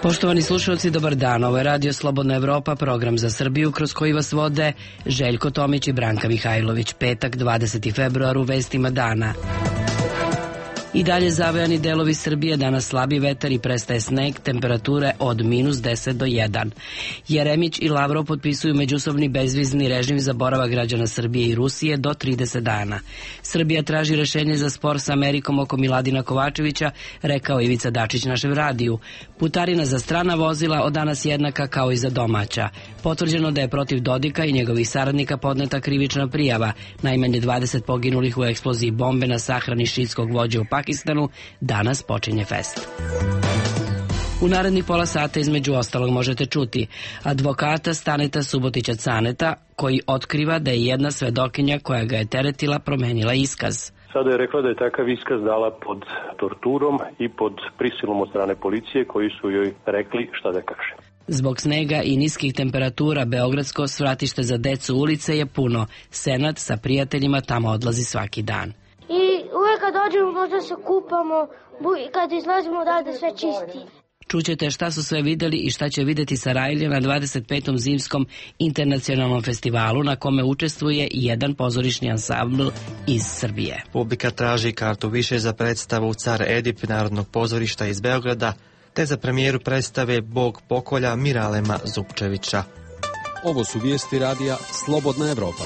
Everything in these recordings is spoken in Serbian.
Poštovani slušalci, dobar dan. Ovo je Radio Slobodna Evropa, program za Srbiju kroz koji vas vode Željko Tomić i Branka Mihajlović. Petak, 20. februar, u vestima dana. I dalje zavejani delovi Srbije, danas slabi vetar i prestaje sneg, temperature od -10 do 1. Jeremić i Lavrov potpisuju međusobni bezvizni režim za boravak građana Srbije i Rusije do 30 dana. Srbija traži rešenje za spor sa Amerikom oko Miladina Kovačevića, rekao Ivica Dačić našem radiju. Putarina za strana vozila od danas jednaka kao i za domaća. Potvrđeno da je protiv Dodika i njegovih saradnika podneta krivična prijava. Najmanje 20 poginulih u eksploziji bombe na sahrani šiitskog vođe u Pakistanu. Danas počinje fest. U narednih pola sata između ostalog možete čuti advokata Staneta Subotića Caneta, koji otkriva da je jedna svedokinja koja ga je teretila promenila iskaz. Sada je rekla da je takav iskaz dala pod torturom i pod prisilom od strane policije koji su joj rekli šta da kaže. Zbog snega i niskih temperatura beogradsko svratište za decu ulice je puno. Senat sa prijateljima tamo odlazi svaki dan. I uvek kad dođemo možda se kupamo i kad izlazimo odavde sve čisti. Čućete šta su sve videli i šta će videti Sarajlija na 25. zimskom internacionalnom festivalu na kome učestvuje i jedan pozorišni ansambl iz Srbije. Publika traži kartu više za predstavu Car Edip Narodnog pozorišta iz Beograda, te za premijeru predstave Bog pokolja Miralema Zupčevića. Ovo su vijesti radija Slobodna Evropa.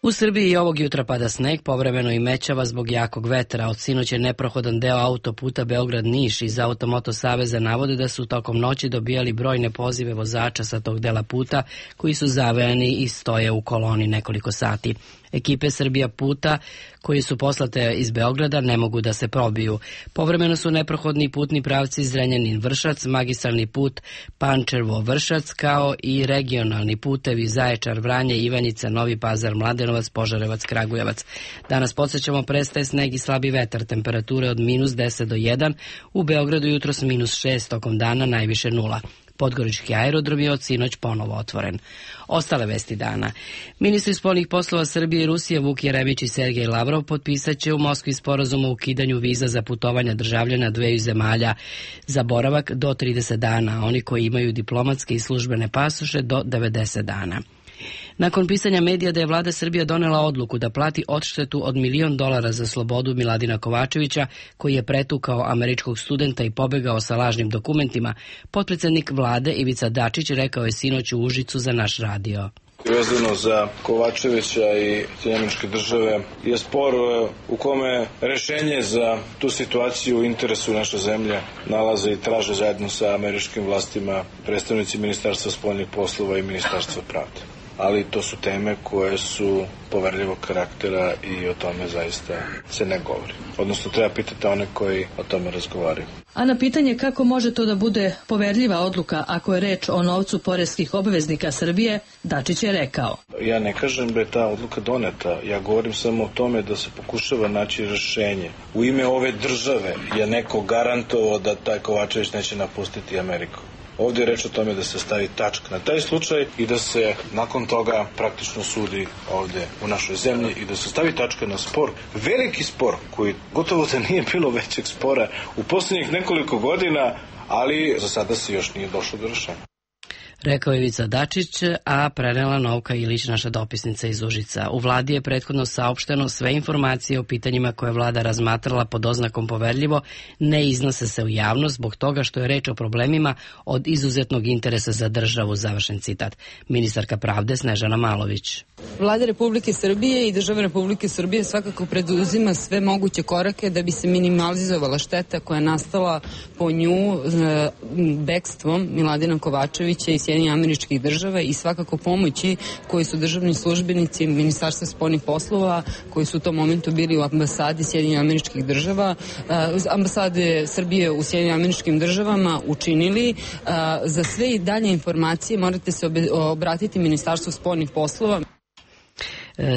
U Srbiji i ovog jutra pada sneg, povremeno i mećava zbog jakog vetra. Od sinoć je neprohodan deo autoputa Beograd-Niš. Iz Automoto Saveza navode da su tokom noći dobijali brojne pozive vozača sa tog dela puta koji su zavejani i stoje u koloni nekoliko sati. Ekipe Srbija puta koji su poslate iz Beograda ne mogu da se probiju. Povremeno su neprohodni putni pravci Zrenjanin-Vršac, magistralni put Pančevo-Vršac, kao i regionalni putevi Zaječar-Vranje, Ivanjica, Novi Pazar, Mladenovac, Požarevac, Kragujevac. Danas podsjećamo prestaje sneg i slabi vetar, temperature od -10 do 1, u Beogradu jutros -6, tokom dana najviše 0. Podgorički aerodrom je od sinoć ponovo otvoren. Ostale vesti dana. Ministri spoljnih poslova Srbije i Rusije Vuk Jeremić i Sergej Lavrov potpisat će u Moskvi sporazum o ukidanju viza za putovanja državljana dveju zemalja za boravak do 30 dana, a oni koji imaju diplomatske i službene pasoše do 90 dana. Nakon pisanja medija da je vlada Srbije donela odluku da plati odštetu od $1 milion za slobodu Miladina Kovačevića, koji je pretukao američkog studenta i pobegao sa lažnim dokumentima, potpredsednik vlade Ivica Dačić rekao je sinoć u Užicu za naš radio. Vezano za Kovačevića i Sjedinjene Države je spor u kome rešenje za tu situaciju u interesu naše zemlje nalaze i traže zajedno sa američkim vlastima predstavnici Ministarstva spoljnih poslova i Ministarstva pravde. Ali to su teme koje su poverljivog karaktera i o tome zaista se ne govori. Odnosno treba pitati one koji o tome razgovaraju. A na pitanje kako može to da bude poverljiva odluka ako je reč o novcu poreskih obveznika Srbije, Dačić je rekao. Ja ne kažem da je ta odluka doneta, ja govorim samo o tome da se pokušava naći rešenje. U ime ove države je neko garantovao da taj Kovačević neće napustiti Ameriku. Ovdje je reč o tome da se stavi tačka na taj slučaj i da se nakon toga praktično sudi ovdje u našoj zemlji i da se stavi tačka na spor, veliki spor koji gotovo da nije bilo većeg spora u posljednjih nekoliko godina, ali za sada se još nije došlo do rešenja. Rekao je Ivica Dačić, a prenela Novka Ilić, naša dopisnica iz Užica. U vladi je prethodno saopšteno sve informacije o pitanjima koje vlada razmatrala pod oznakom poverljivo ne iznose se u javnost zbog toga što je reč o problemima od izuzetnog interesa za državu, završen citat. Ministarka pravde Snežana Malović. Vlada Republike Srbije i država Republike Srbije svakako preduzima sve moguće korake da bi se minimalizovala šteta koja je nastala po nju bekstvom Miladina Kovačevića i Sjedinjenih Američkih Država i svakako pomoći koji su državni službenici Ministarstva spoljnih poslova koji su u tom momentu bili u ambasadi Sjedinjenih Američkih Država, ambasade Srbije u Sjedinjenim Američkim Državama učinili. Za sve i dalje informacije morate se obratiti Ministarstvu spoljnih poslova.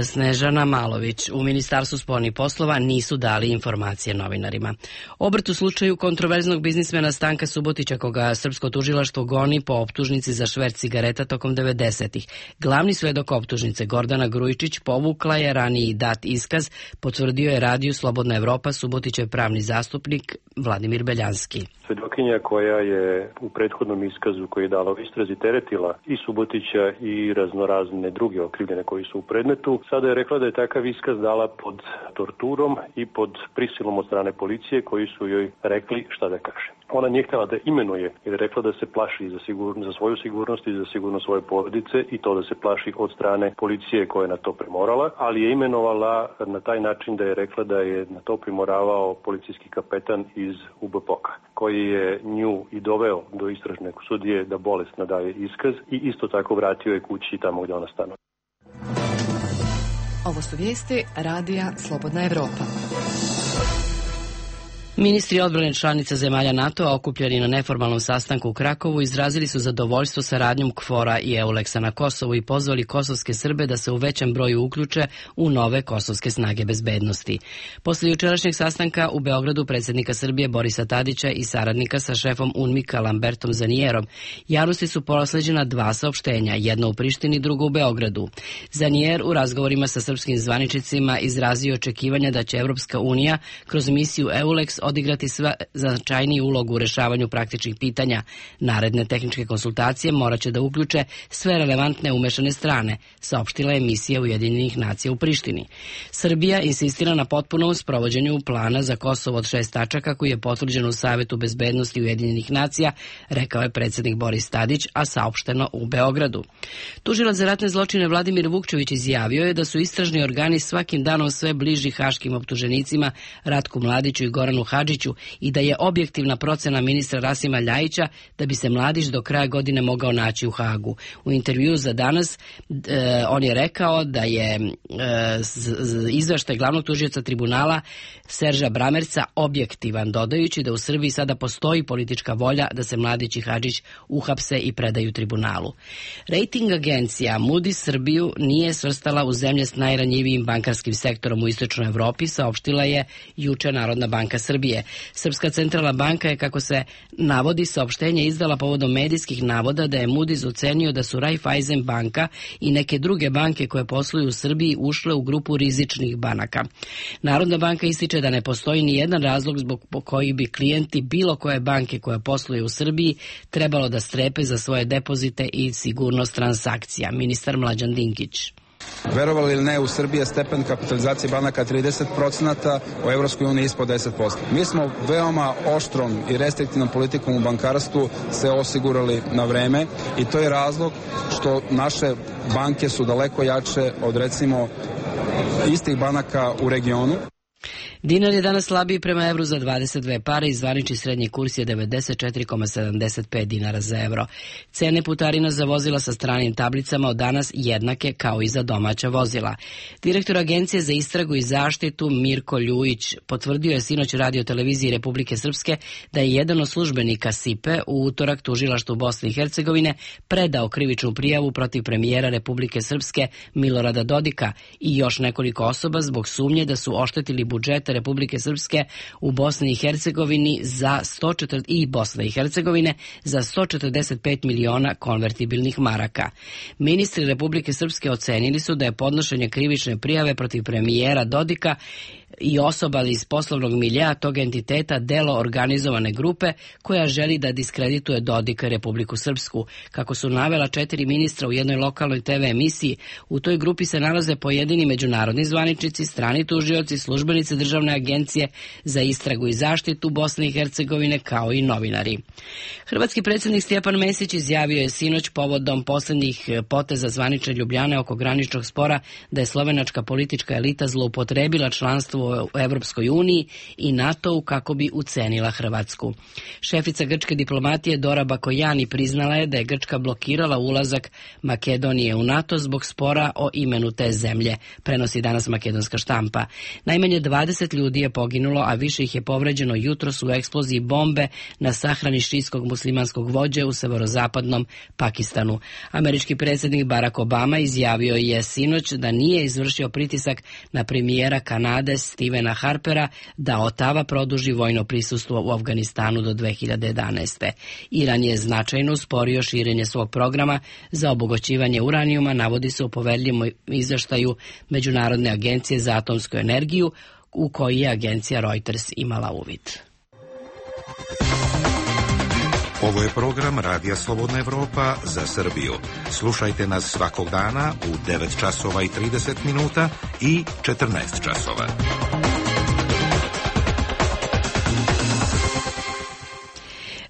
Snežana Malović. U Ministarstvu spoljnih poslova nisu dali informacije novinarima. Obrt u slučaju kontroverznog biznismena Stanka Subotića, koga srpsko tužilaštvo goni po optužnici za šverc cigareta tokom 90-ih. Glavni svedok optužnice Gordana Grujičić povukla je raniji dat iskaz, potvrdio je radiju Slobodna Evropa Subotićev pravni zastupnik Vladimir Beljanski. Svedokinja koja je u prethodnom iskazu koji je dala u istrazi teretila i Subotića i raznorazne druge okrivljene koji su u predmetu, sada je rekla da je takav iskaz dala pod torturom i pod prisilom od strane policije koji su joj rekli šta da kaže. Ona nije htjela da imenuje jer je rekla da se plaši za svoju sigurnost i za sigurnost svoje porodice i to da se plaši od strane policije koja je na to primorala, ali je imenovala na taj način da je rekla da je na to primoravao policijski kapetan iz UBPOK-a, koji je nju i doveo do istražne sudije da bolesna daje iskaz i isto tako vratio je kući tamo gdje ona stanuje. Ovo su vijesti radija Slobodna Evropa. Ministri odbrane članica zemalja NATO-a okupljeni na neformalnom sastanku u Krakovu izrazili su zadovoljstvo saradnjom KFOR-a i EULEX-a na Kosovu i pozvali kosovske Srbe da se u većem broju uključe u nove kosovske snage bezbednosti. Posle jučerašnjeg sastanka u Beogradu predsjednika Srbije Borisa Tadića i saradnika sa šefom UNMIK-a Lambertom Zanijerom javnosti su prosleđena dva saopštenja, jedno u Prištini, drugo u Beogradu. Zanijer u razgovorima sa srpskim zvaničnicima izrazio očekivanja da će Evropska unija kroz misiju EULEX odigrati značajniju ulogu u rešavanju praktičnih pitanja. Naredne tehničke konsultacije morat će da uključe sve relevantne umešane strane, saopštila je misija Ujedinjenih nacija u Prištini. Srbija insistira na potpunom sprovođenju plana za Kosovo od 6 tačaka koji je potvrđen u Savetu bezbednosti Ujedinjenih nacija, rekao je predsjednik Boris Tadić, a saopšteno u Beogradu. Tužilac za ratne zločine Vladimir Vukčević izjavio je da su istražni organi svakim danom sve bliži haškim optuženicima Ratku Mladiću i Goranu Hadžiću i da je objektivna procena ministra Rasima Ljajića da bi se Mladić do kraja godine mogao naći u Hagu. U intervjuu za Danas on je rekao da je izveštaj glavnog tužioca tribunala Serža Bramerca objektivan, dodajući da u Srbiji sada postoji politička volja da se Mladić i Hadžić uhapse i predaju tribunalu. Rating agencija Moody's Srbiju nije svrstala u zemlje s najranjivijim bankarskim sektorom u istočnoj Evropi, saopštila je juče Narodna banka Srbije. Srpska centralna banka je, kako se navodi, saopštenje izdala povodom medijskih navoda da je Moody's ocenio da su Raiffeisen banka i neke druge banke koje posluju u Srbiji ušle u grupu rizičnih banaka. Narodna banka ističe da ne postoji ni jedan razlog zbog koji bi klijenti bilo koje banke koja posluje u Srbiji trebalo da strepe za svoje depozite i sigurnost transakcija. Ministar Mlađan Dinkić. Verovali ili ne, u Srbiji je stepen kapitalizacije banaka 30%, u Evropskoj uniji ispod 10%. Mi smo veoma oštrom i restriktivnom politikom u bankarstvu se osigurali na vreme i to je razlog što naše banke su daleko jače od, recimo, istih banaka u regionu. Dinar je danas slabiji prema evru za 22 pare i zvanični srednji kurs je 94,75 dinara za evro. Cene putarina za vozila sa stranim tablicama od danas jednake kao i za domaća vozila. Direktor Agencije za istragu i zaštitu Mirko Ljujić potvrdio je sinoć Radio televiziji Republike Srpske da je jedan od službenika SIPE u utorak tužilaštvu Bosne i Hercegovine predao krivičnu prijavu protiv premijera Republike Srpske Milorada Dodika i još nekoliko osoba zbog sumnje da su oštetili budžet Republike Srpske u Bosni i Hercegovini za 145 miliona konvertibilnih maraka. Ministri Republike Srpske ocenili su da je podnošenje krivične prijave protiv premijera Dodika i osoba iz poslovnog miljea tog entiteta delo organizovane grupe koja želi da diskredituje Dodika i Republiku Srpsku. Kako su navela 4 ministra u jednoj lokalnoj TV emisiji, u toj grupi se nalaze pojedini međunarodni zvaničnici, strani tužioci, službenici Državne agencije za istragu i zaštitu Bosne i Hercegovine kao i novinari. Hrvatski predsjednik Stjepan Mesić izjavio je sinoć povodom posljednjih poteza zvanične Ljubljane oko graničnog spora da je slovenačka politička elita zloupotrebila članstvo prisustvu u Evropskoj uniji i NATO-u kako bi ucenila Hrvatsku. Šefica grčke diplomatije Dora Bakojani priznala je da je Grčka blokirala ulazak Makedonije u NATO zbog spora o imenu te zemlje, prenosi danas makedonska štampa. Najmanje 20 ljudi je poginulo, a više ih je povređeno jutros u eksploziji bombe na sahrani šiitskog muslimanskog vođe u severozapadnom Pakistanu. Američki predsjednik Barack Obama izjavio je sinoć da nije izvršio pritisak na premijera Kanade Stevena Harpera da Otava produži vojno prisustvo u Afganistanu do 2011. Iran je značajno usporio širenje svog programa za obogaćivanje uranijuma, navodi se u poverljivom izveštaju Međunarodne agencije za atomsku energiju, u koji je agencija Reuters imala uvid. Ovo je program Radija Slobodna Evropa za Srbiju. Slušajte nas svakog dana u 9 časova i 30 minuta i 14 časova.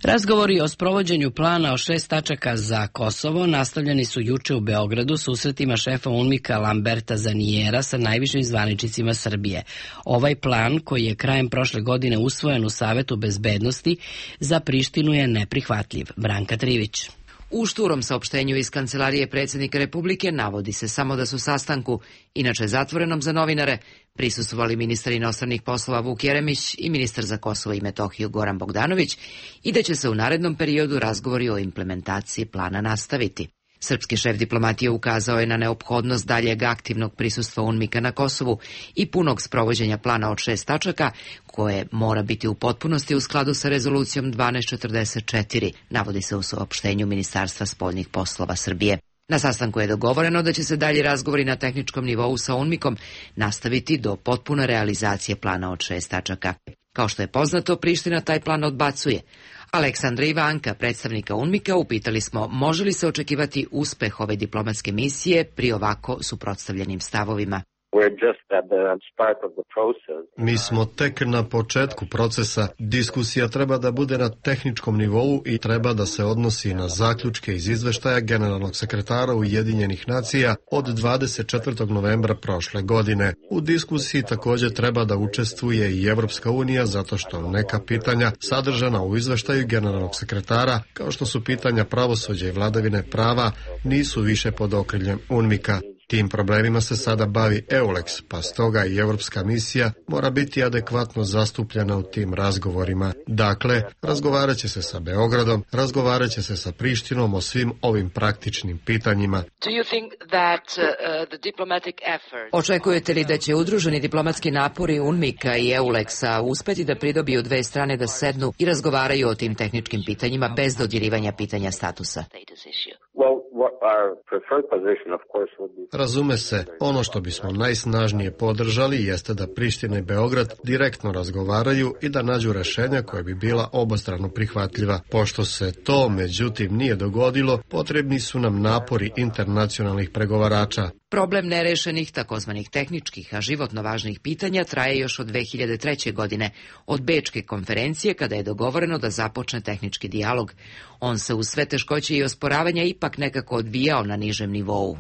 Razgovori o sprovođenju plana o 6 tačaka za Kosovo nastavljeni su juče u Beogradu susretima šefa UNMIK-a Lamberta Zanijera sa najvišim zvaničnicima Srbije. Ovaj plan, koji je krajem prošle godine usvojen u Savetu bezbednosti, za Prištinu je neprihvatljiv. Branka Trivić. U šturom saopštenju iz Kancelarije predsjednika Republike navodi se samo da su sastanku, inače zatvorenom za novinare, prisustvovali ministar inostranih poslova Vuk Jeremić i ministar za Kosovo i Metohiju Goran Bogdanović i da će se u narednom periodu razgovori o implementaciji plana nastaviti. Srpski šef diplomatije ukazao je na neophodnost daljeg aktivnog prisustva UNMIK-a na Kosovu i punog sprovođenja plana od 6 tačaka, koje mora biti u potpunosti u skladu sa rezolucijom 1244, navodi se u saopštenju Ministarstva spoljnih poslova Srbije. Na sastanku je dogovoreno da će se dalji razgovori na tehničkom nivou sa UNMIK-om nastaviti do potpune realizacije plana od 6 tačaka. Kao što je poznato, Priština taj plan odbacuje. Aleksandra Ivanka, predstavnika UNMIK-a, upitali smo može li se očekivati uspeh ove diplomatske misije pri ovako suprotstavljenim stavovima. Mi smo tek na početku procesa. Diskusija treba da bude na tehničkom nivou i treba da se odnosi na zaključke iz izveštaja generalnog sekretara Ujedinjenih nacija od 24. novembra prošle godine. U diskusiji također treba da učestvuje i Evropska unija zato što neka pitanja sadržana u izveštaju generalnog sekretara, kao što su pitanja pravosuđa i vladavine prava, nisu više pod okriljem UNMIK-a. Tim problemima se sada bavi EULEX, pa stoga i Evropska misija mora biti adekvatno zastupljena u tim razgovorima. Dakle, razgovarat će se sa Beogradom, razgovarat će se sa Prištinom o svim ovim praktičnim pitanjima. Očekujete li da će udruženi diplomatski napori UNMIK-a i EULEX-a uspeti da pridobiju dve strane da sednu i razgovaraju o tim tehničkim pitanjima bez dodirivanja pitanja statusa? Razume se, ono što bismo najsnažnije podržali jeste da Priština i Beograd direktno razgovaraju i da nađu rešenja koja bi bila obostrano prihvatljiva. Pošto se to, međutim, nije dogodilo, potrebni su nam napori internacionalnih pregovarača. Problem nerešenih takozvanih tehničkih, a životno važnih pitanja traje još od 2003. godine, od Bečke konferencije kada je dogovoreno da započne tehnički dijalog. On se uz sve teškoće i osporavanja ipak nekako odvijao na nižem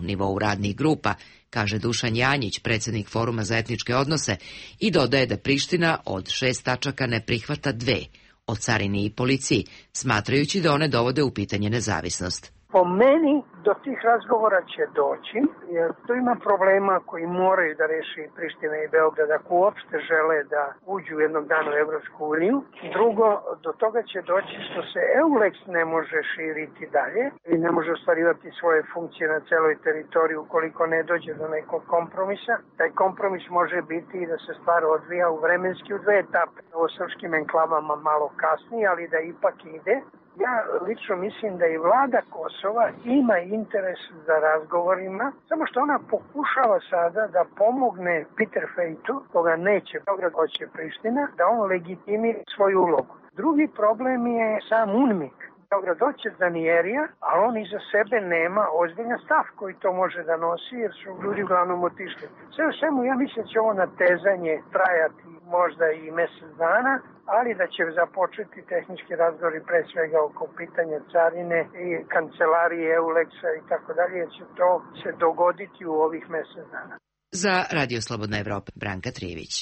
nivou radnih grupa, kaže Dušan Janjić, predsjednik Foruma za etničke odnose, i dodaje da Priština od 6 tačaka ne prihvata 2, o carini i policiji, smatrajući da one dovode u pitanje nezavisnost. Po meni do tih razgovora će doći, jer tu ima problema koji moraju da reši Priština i Beograd ako uopšte žele da uđu jednog dana u Evropsku uniju. Drugo, do toga će doći što se EULEX ne može širiti dalje i ne može ostvarivati svoje funkcije na celoj teritoriji ukoliko ne dođe do nekog kompromisa. Taj kompromis može biti i da se stvar odvija u vremenski u 2 etape. O srpskim enklavama malo kasnije, ali da ipak ide. Ja lično mislim da i vlada Kosova ima interes za razgovorima, samo što ona pokušava sada da pomogne Peter Fejtu, koga neće Beograd, hoće Priština, da on legitimira svoju ulogu. Drugi problem je sam UNMIK. Beograd hoće Zanijerija, ali on iza sebe nema ozbiljan stav koji to može da nosi, jer su ljudi uglavnom otišli. Sve u svemu, ja mislim da će ovo natezanje trajati možda i mjesec dana, ali da će započeti tehnički razgovori pre svega oko pitanja carine i kancelarije EULEX-a i tako dalje, jer će to se dogoditi u ovih mjesec dana. Za Radio Slobodna Evropa, Branka Trivić.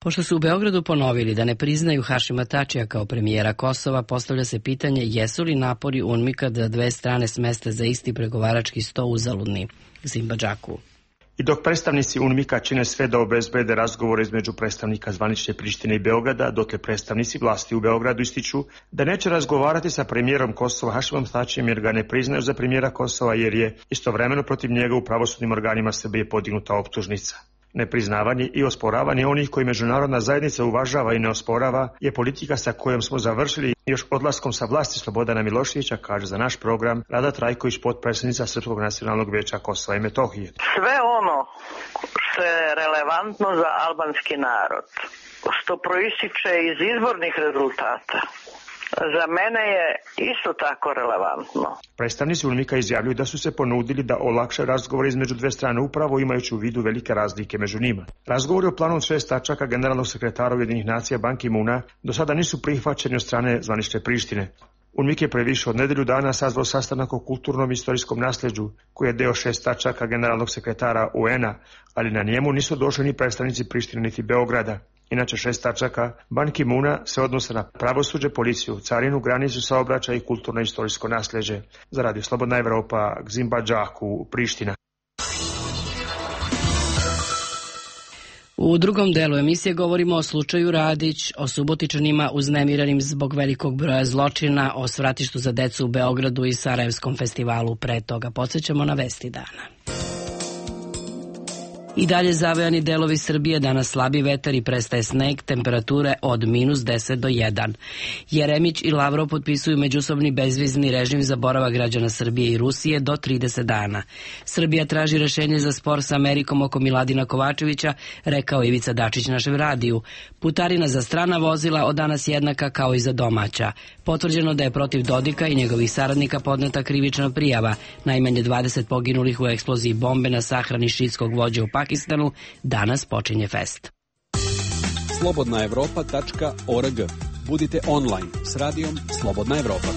Pošto su u Beogradu ponovili da ne priznaju Hašima Tačija kao premijera Kosova, postavlja se pitanje jesu li napori UNMIK-a da dve strane smeste za isti pregovarački sto uzaludni. Zimba Džaku. I dok predstavnici UNMIK-a čine sve da obezbede razgovore između predstavnika zvanične Prištine i Beograda, dotle predstavnici vlasti u Beogradu ističu da neće razgovarati sa premijerom Kosova Hašimom Tačijem jer ga ne priznaju za premijera Kosova jer je istovremeno protiv njega u pravosudnim organima Srbije podignuta optužnica. Nepriznavanje i osporavanje onih koji međunarodna zajednica uvažava i ne osporava je politika sa kojom smo završili još odlaskom sa vlasti Slobodana Miloševića, kaže za naš program Rada Trajković, potpredsjednica Srpskog nacionalnog vijeća Kosova i Metohije. Sve ono što je relevantno za albanski narod, što proističe iz izbornih rezultata, za mene je isto tako relevantno. Predstavnici UNMIK-a izjavljuju da su se ponudili da olakše razgovore između dve strane upravo imajući u vidu velike razlike među njima. Razgovori o planu od 6 tačaka generalnog sekretara Ujedinjenih nacija Ban Ki-moona do sada nisu prihvaćeni od strane zvanične Prištine. UNMIK je pre više od nedelju dana sazvao sastanak o kulturnom i istorijskom nasljeđu, koji je deo 6 tačaka generalnog sekretara UN-a, ali na njemu nisu došli ni predstavnici Prištine niti Beograda. Inače 6 tačaka Ban Ki-moona se odnose na pravosuđe, policiju, carinu, granicu, saobraćaj i kulturno i istorijsko nasljeđe. Za Radio Slobodna Evropa, Zimba Džaku, Priština. U drugom delu emisije govorimo o slučaju Radić, o Subotičanima uznemiranim zbog velikog broja zločina, o svratištu za decu u Beogradu i Sarajevskom festivalu. Pre toga podsjećamo na vesti dana. I dalje zavejani delovi Srbije, danas slabi vetar i prestaje sneg, temperature od -10 do 1. Jeremić i Lavrov potpisuju međusobni bezvizni režim za boravak građana Srbije i Rusije do 30 dana. Srbija traži rešenje za spor sa Amerikom oko Miladina Kovačevića, rekao Ivica Dačić našem radiju. Putarina za strana vozila od danas jednaka kao i za domaća. Potvrđeno da je protiv Dodika i njegovih saradnika podneta krivična prijava. Najmanje 20 poginulih u eksploziji bombe na sahrani šiitskog vođe u Pakistanu. Danas počinje fest. slobodnaevropa.org. Budite online s radijom Slobodna Evropa.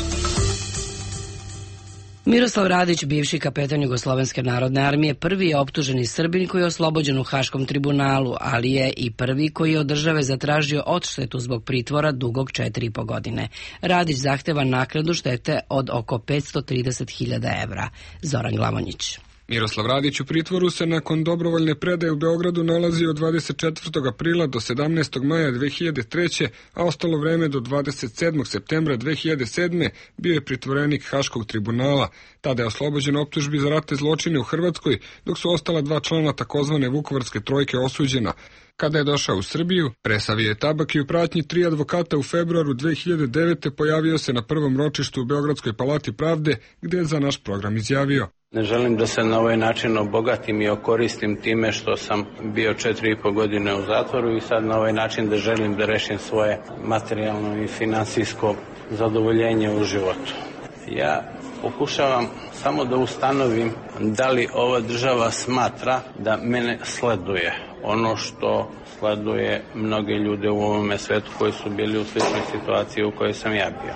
Miroslav Radić, bivši kapetan Jugoslovenske narodne armije, prvi je optuženi Srbin koji je oslobođen u Haškom tribunalu, ali je i prvi koji je od države zatražio odštetu zbog pritvora dugog 4,5 godine. Radić zahteva naknadu štete od oko 530.000 evra. Zoran Glavonjić. Miroslav Radić u pritvoru se nakon dobrovoljne predaje u Beogradu nalazi od 24. aprila do 17. maja 2003. a ostalo vreme do 27. septembra 2007. bio je pritvorenik Haškog tribunala. Tada je oslobođen optužbi za ratne zločine u Hrvatskoj, dok su ostala 2 člana takozvane Vukovarske trojke osuđena. Kada je došao u Srbiju, presavio je tabak i u pratnji 3 advokata u februaru 2009. pojavio se na prvom ročištu u Beogradskoj palati pravde, gde je za naš program izjavio: Ne želim da se na ovaj način obogatim i okoristim time što sam bio 4,5 godine u zatvoru i sad na ovaj način da želim da rešim svoje materijalno i finansijsko zadovoljenje u životu. Ja pokušavam samo da ustanovim da li ova država smatra da mene sleduje. Ono što sleduje mnoge ljude u ovome svetu koji su bili u sličnoj situaciji u kojoj sam ja bio.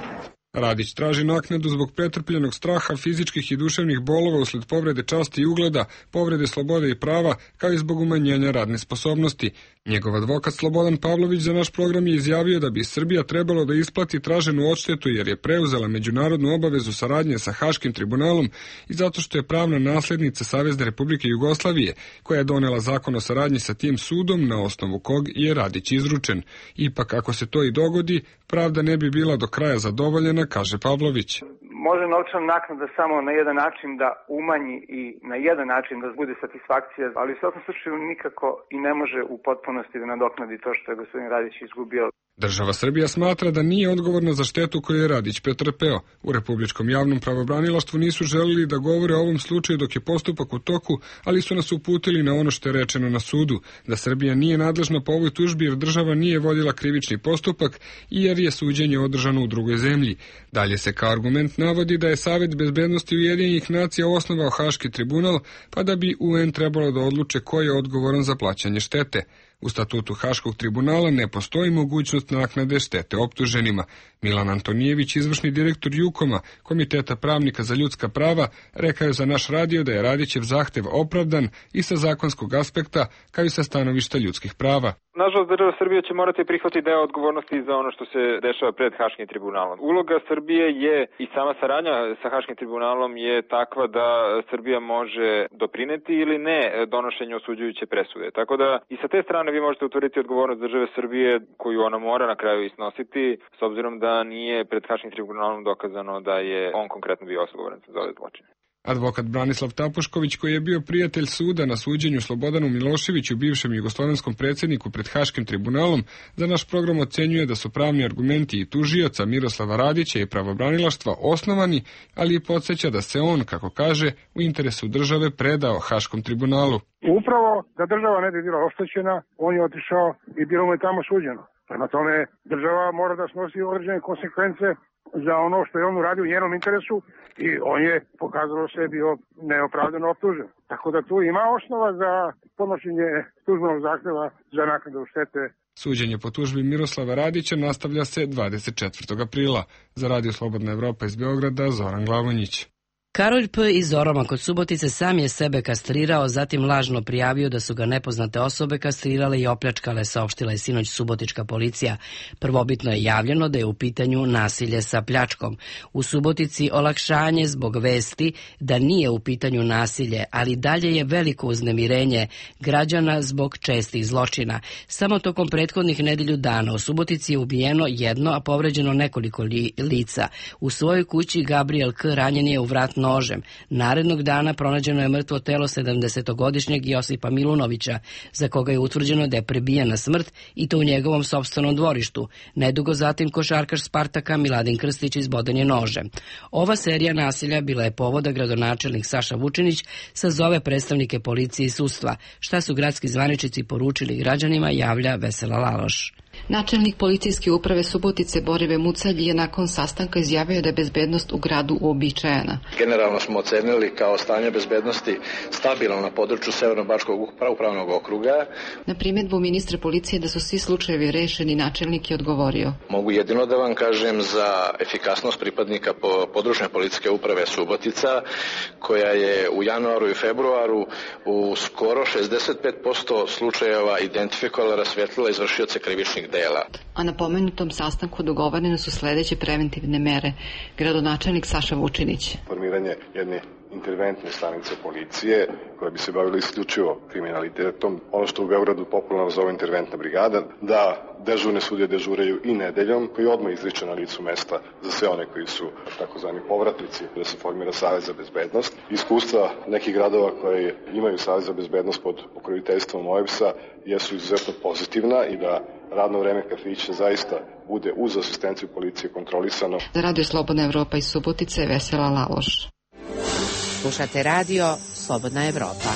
Radić traži naknadu zbog pretrpljenog straha, fizičkih i duševnih bolova usled povrede časti i ugleda, povrede slobode i prava, kao i zbog umanjenja radne sposobnosti. Njegov advokat Slobodan Pavlović za naš program je izjavio da bi Srbija trebalo da isplati traženu odštetu jer je preuzela međunarodnu obavezu saradnje sa Haškim tribunalom i zato što je pravna naslednica Savezne Republike Jugoslavije, koja je donela zakon o saradnji sa tim sudom na osnovu kog je Radić izručen. Ipak, ako se to i dogodi, pravda ne bi bila do kraja zadovoljena, kaže Pavlović. Može novčana naknada samo na jedan način da umanji i na jedan način da bude satisfakcija, ali u svakom slučaju nikako i ne može u potpunosti da nadoknadi to što je gospodin Radić izgubio. Država Srbija smatra da nije odgovorna za štetu koju je Radić pretrpeo. U Republičkom javnom pravobranilaštvu nisu želeli da govore o ovom slučaju dok je postupak u toku, ali su nas uputili na ono što je rečeno na sudu, da Srbija nije nadležna po ovoj tužbi jer država nije vodila krivični postupak i jer je suđenje održano u drugoj zemlji. Dalje se kao argument navodi da je Savet bezbednosti Ujedinjenih nacija osnovao Haški tribunal, pa da bi UN trebalo da odluče ko je odgovoran za plaćanje štete. U statutu Haškog tribunala ne postoji mogućnost naknade štete optuženima. Milan Antonijević, izvršni direktor Jukoma, Komiteta pravnika za ljudska prava, rekao je za naš radio da je Radićev zahtev opravdan i sa zakonskog aspekta, kao i sa stanovišta ljudskih prava. Nažalost, država Srbija će morati prihvatiti deo odgovornosti za ono što se dešava pred Haškim tribunalom. Uloga Srbije je i sama saradnja sa Haškim tribunalom je takva da Srbija može doprineti ili ne donošenju osuđujuće presude. Tako da i sa te strane vi možete utvrditi odgovornost države Srbije koju ona mora na kraju isnositi, s obzirom da nije pred Haškim tribunalom dokazano da je on konkretno bio odgovoran za ove zločine. Advokat Branislav Tapušković, koji je bio prijatelj suda na suđenju Slobodanu Miloševiću, bivšem jugoslovenskom predsjedniku pred Haškim tribunalom, za naš program ocenjuje da su pravni argumenti i tužioca Miroslava Radića i pravobranilaštva osnovani, ali i podsjeća da se on, kako kaže, u interesu države predao Haškom tribunalu. Upravo da država ne bi bila oštećena, on je otišao i bilo mu je tamo suđeno. Prema tome, država mora da snosi određene konsekvence za ono što je on uradio u njenom interesu i on je pokazalo se bio neopravdano optužen. Tako da tu ima osnova za podnošenje tužbenog zahtjeva za naknadu štete. Suđenje po tužbi Miroslava Radića nastavlja se 24. aprila. Za Radio Slobodna Evropa iz Beograda, Zoran Glavonjić. Karolj P. iz Oroma kod Subotice sam je sebe kastrirao, zatim lažno prijavio da su ga nepoznate osobe kastrirale i opljačkale, saopštila je sinoć subotička policija. Prvobitno je javljeno da je u pitanju nasilje sa pljačkom. U Subotici olakšanje zbog vesti da nije u pitanju nasilje, ali dalje je veliko uznemirenje građana zbog čestih zločina. Samo tokom prethodnih nedelju dana u Subotici je ubijeno jedno, a povređeno nekoliko lica. U svojoj kući Gabriel K. ranjen je u vrat nožem. Narednog dana pronađeno je mrtvo telo 70-godišnjeg Josipa Milunovića, za koga je utvrđeno da je prebijen na smrt i to u njegovom sopstvenom dvorištu. Nedugo zatim košarkaš Spartaka Miladin Krstić izboden je nožem. Ova serija nasilja bila je povoda gradonačelnik Saša Vučinić sazove predstavnike policije i sudstva. Šta su gradski zvaničnici poručili građanima, javlja Vesela Laloš. Načelnik policijske uprave Subotice Borive Mucalj je nakon sastanka izjavio da je bezbednost u gradu uobičajena. Generalno smo ocenili kao stanje bezbednosti stabilno na području Severno-bačkog upravnog okruga. Na primjedbu ministra policije da su svi slučajevi rešeni, načelnik je odgovorio. Mogu jedino da vam kažem za efikasnost pripadnika područne policijske uprave Subotica, koja je u januaru i februaru u skoro 65% slučajeva identifikovala, rasvjetlila izvršioce krivičnih dela. A na pomenutom sastanku dogovorene su sljedeće preventivne mere. Gradonačelnik Saša Vučinić. Formiranje jedne interventne stanice policije koja bi se bavila isključivo kriminalitetom. Ono što u Beogradu popularno zove interventna brigada, da dežurne sudije dežuraju i nedeljom, koji odmah izriče na licu mesta za sve one koji su takozvani povratnici, da se formira Savez za bezbednost. Iskustva nekih gradova koji imaju Savez za bezbednost pod pokroviteljstvom OEBS-a jesu izuzetno pozitivna i da radno vreme kafića zaista bude uz asistenciju policije kontrolisano. Za Radio Slobodna Evropa iz Subotice, Vesela Laloš. Slušate Radio Slobodna Evropa.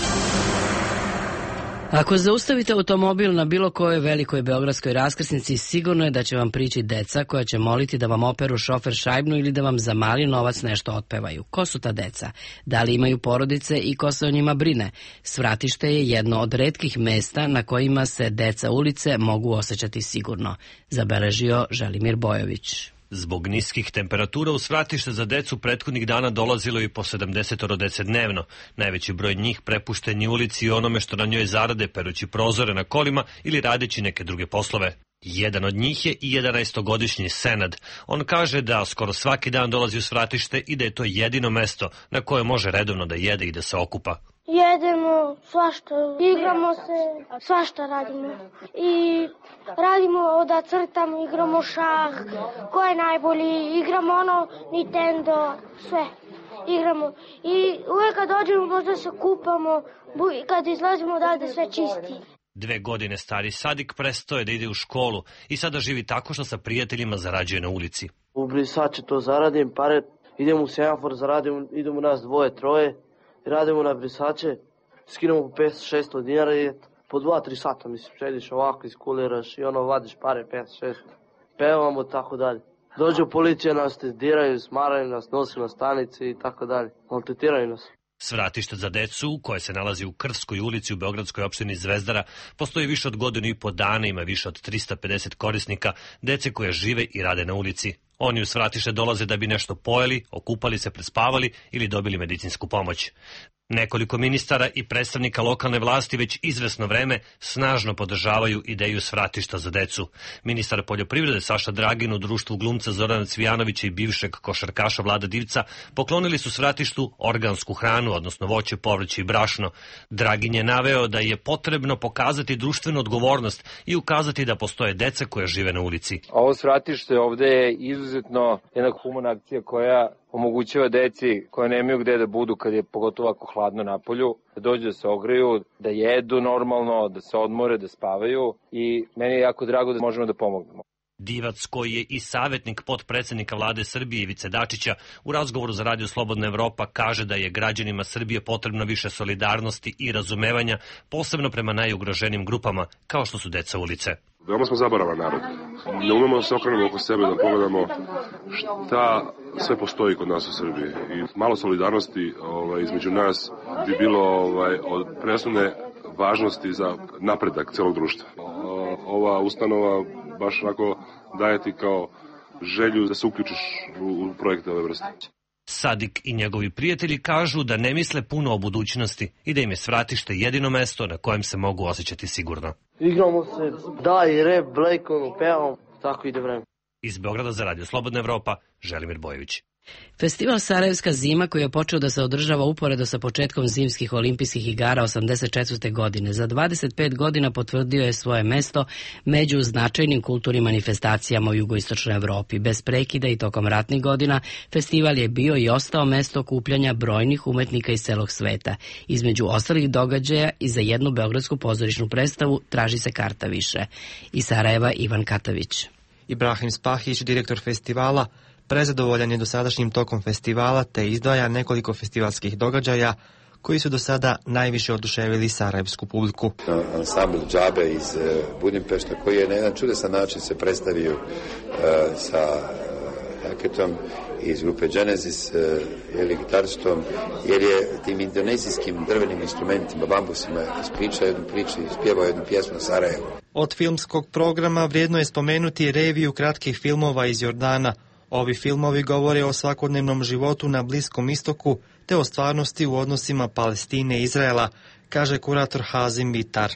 Ako zaustavite automobil na bilo kojoj velikoj beogradskoj raskrsnici, sigurno je da će vam prići deca koja će moliti da vam operu šofer šajbnu ili da vam za mali novac nešto otpevaju. Ko su ta deca? Da li imaju porodice i ko se o njima brine? Svratište je jedno od retkih mesta na kojima se deca ulice mogu osjećati sigurno, zabeležio Želimir Bojović. Zbog niskih temperatura u svratište za decu prethodnih dana dolazilo i po 70 dece dnevno. Najveći broj njih prepušten je ulici i onome što na njoj zarade perući prozore na kolima ili radeći neke druge poslove. Jedan od njih je i 11-godišnji Senad. On kaže da skoro svaki dan dolazi u svratište i da je to jedino mesto na koje može redovno da jede i da se okupa. Jedemo svašta, igramo se, svašta radimo. I radimo da crtamo, igramo šah, ko je najbolji, igramo ono Nintendo, sve igramo. I uvijek kad dođemo možda se kupamo, kad izlazimo odavde sve čisti. 2 godine stari Sadik prestao je da ide u školu i sada živi tako što sa prijateljima zarađuje na ulici. U brisače to zaradim, pare, idemo u semafor, zaradim, idemo nas 2-3, radimo na brisače, skinemo po 500-600 dinara i po 2-3 sata, mislim, sediš ovako, iskuliraš i ono, vadiš pare 5-6, pevamo, tako dalje. Dođu policija, nas testiraju, smaraju nas, nosi na stanici i tako dalje, maltretiraju nas. Svratište za decu, koje se nalazi u Krvskoj ulici u beogradskoj opštini Zvezdara, postoji više od godinu i po dana, ima više od 350 korisnika, dece koje žive i rade na ulici. Oni u svratište dolaze da bi nešto pojeli, okupali se, prespavali ili dobili medicinsku pomoć. Nekoliko ministara i predstavnika lokalne vlasti već izvesno vreme snažno podržavaju ideju svratišta za decu. Ministar poljoprivrede Saša Dragin u društvu glumca Zorana Cvijanovića i bivšeg košarkaša Vlada Divca poklonili su svratištu organsku hranu, odnosno voće, povrće i brašno. Dragin je naveo da je potrebno pokazati društvenu odgovornost i ukazati da postoje deca koja žive na ulici. Ovo svratište ovde je izuzetno jedna humana akcija koja omogućava deci koja nemaju gde da budu kad je pogotovo ako hladno napolju, da dođu da se ogreju, da jedu normalno, da se odmore, da spavaju i meni je jako drago da možemo da pomognemo. Divac, koji je i savjetnik potpredsednika vlade Srbije Ivice Dačića, u razgovoru za Radio Slobodna Evropa kaže da je građanima Srbije potrebno više solidarnosti i razumevanja, posebno prema najugroženijim grupama, kao što su deca ulice. Veoma smo zaboravan narod. Ne umemo da se okrenemo oko sebe, da pogledamo šta sve postoji kod nas u Srbiji. I malo solidarnosti između nas bi bilo od presudne važnosti za napredak celog društva. Ova ustanova baš onako daje ti kao želju da se uključiš u projekte ove vrste. Sadik i njegovi prijatelji kažu da ne misle puno o budućnosti i da im je svratište jedino mesto na kojem se mogu osjećati sigurno. Igramo se, daj, rep, blejkom, pevamo, tako ide vreme. Iz Beograda za Radio Slobodna Evropa, Želimir Bojević. Festival Sarajevska zima, koji je počeo da se održava uporedo sa početkom zimskih olimpijskih igara 1984. godine, za 25 godina potvrdio je svoje mesto među značajnim kulturnim manifestacijama u jugoistočnoj Evropi. Bez prekida i tokom ratnih godina festival je bio i ostao mesto okupljanja brojnih umetnika iz celog sveta. Između ostalih događaja i za jednu beogradsku pozorišnu predstavu traži se karta više. Iz Sarajeva Ivan Katavić. Ibrahim Spahić, direktor festivala, prezadovoljan je dosadašnjim tokom festivala te izdvaja nekoliko festivalskih događaja koji su do sada najviše oduševili sarajevsku publiku. Ansambl Džabe iz Budimpešta koji je na jedan čudesan način se predstavio sa haketom iz grupe Genesis, gitaristom, jer je tim indonezijskim drvenim instrumentima, bambusima, ispričao jednu priču i ispjevao jednu pjesmu o Sarajevu. Od filmskog programa vrijedno je spomenuti reviju kratkih filmova iz Jordana. Ovi filmovi govore o svakodnevnom životu na Bliskom istoku te o stvarnosti u odnosima Palestine i Izraela, kaže kurator Hazim Bitar.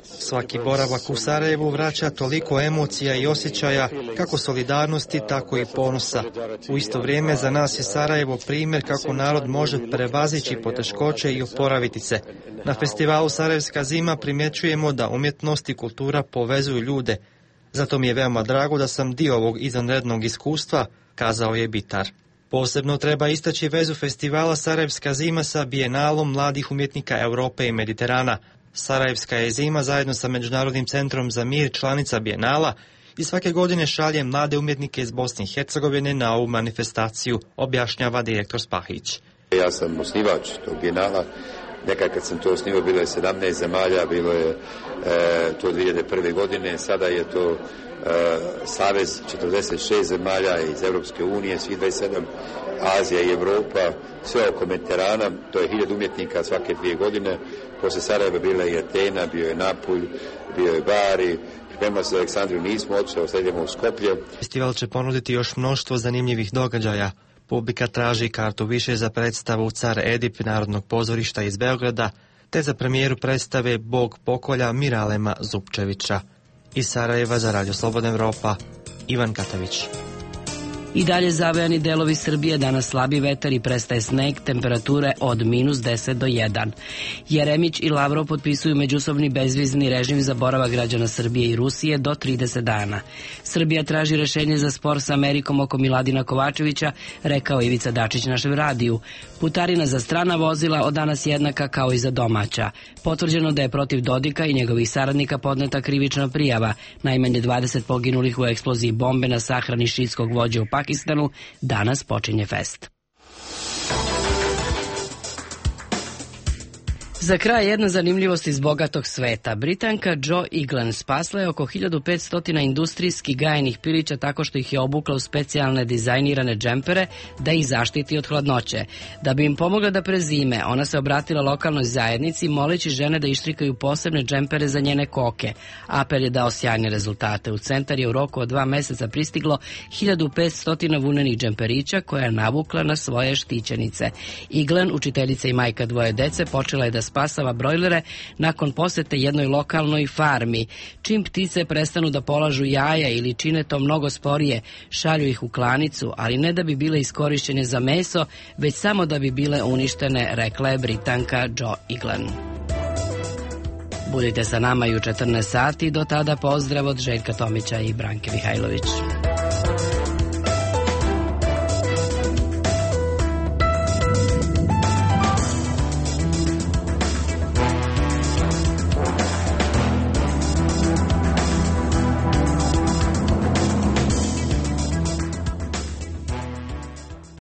Svaki boravak u Sarajevu vraća toliko emocija i osjećaja, kako solidarnosti, tako i ponosa. U isto vrijeme za nas je Sarajevo primjer kako narod može prevazići poteškoće i oporaviti se. Na festivalu Sarajevska zima primjećujemo da umjetnost i kultura povezuju ljude. Zato mi je veoma drago da sam dio ovog izvanrednog iskustva, kazao je Bitar. Posebno treba istaći vezu festivala Sarajevska zima sa Bijenalom mladih umjetnika Europe i Mediterana. Sarajevska je zima zajedno sa Međunarodnim centrom za mir članica Bijenala i svake godine šalje mlade umjetnike iz Bosne i Hercegovine na ovu manifestaciju, objašnjava direktor Spahić. Ja sam osnivač tog Bijenala. Nekad kad sam to osnivao bilo je 17 zemalja, bilo je to 2001. godine, sada je to savez 46 zemalja iz Europske unije, svi 27, Azija i Evropa, sve oko Mediterana, to je 1000 umjetnika svake 2 godine. Posle Sarajeva bila je Atena, bio je Napulj, bio je Bari, pripremila se za Aleksandriju, nismo otišli, sledimo u Skoplje. Festival će ponuditi još mnoštvo zanimljivih događaja. Publika traži kartu više za predstavu Car Edip Narodnog pozorišta iz Beograda, te za premijeru predstave Bog pokolja Miralema Zupčevića. Iz Sarajeva za Radio Slobodna Evropa, Ivan Katavić. I dalje zavejani delovi Srbije, danas slabi vetar i prestaje sneg, temperature od -10 do 1. Jeremić i Lavrov potpisuju međusobni bezvizni režim za boravak građana Srbije i Rusije do 30 dana. Srbija traži rešenje za spor sa Amerikom oko Miladina Kovačevića, rekao Ivica Dačić našem radiju. Putarina za strana vozila od danas jednaka kao i za domaća. Potvrđeno da je protiv Dodika i njegovih saradnika podneta krivična prijava. Najmanje 20 poginulih u eksploziji bombe na sahrani šiitskog vođe u Pakistanu. Danas počinje fest. Za kraj jedna zanimljivost iz bogatog sveta. Britanka Jo Egan spasla je oko 1500 industrijski gajenih pilića tako što ih je obukla u specijalne dizajnirane džempere da ih zaštiti od hladnoće. Da bi im pomogla da prezime, ona se obratila lokalnoj zajednici moleći žene da ištrikaju posebne džempere za njene koke. Apel je dao sjajne rezultate. U centar je u roku od 2 meseca pristiglo 1500 vunenih džemperića koja je navukla na svoje štićenice. Egan, učiteljica i majka 2 dece, počela je da spasava brojlere nakon posete jednoj lokalnoj farmi. Čim ptice prestanu da polažu jaja ili čine to mnogo sporije, šalju ih u klanicu, ali ne da bi bile iskorišćene za meso, već samo da bi bile uništene, rekla je Britanka Jo Egan. Budite sa nama i u 14 sati, do tada pozdrav od Željka Tomića i Branke Mihajlović.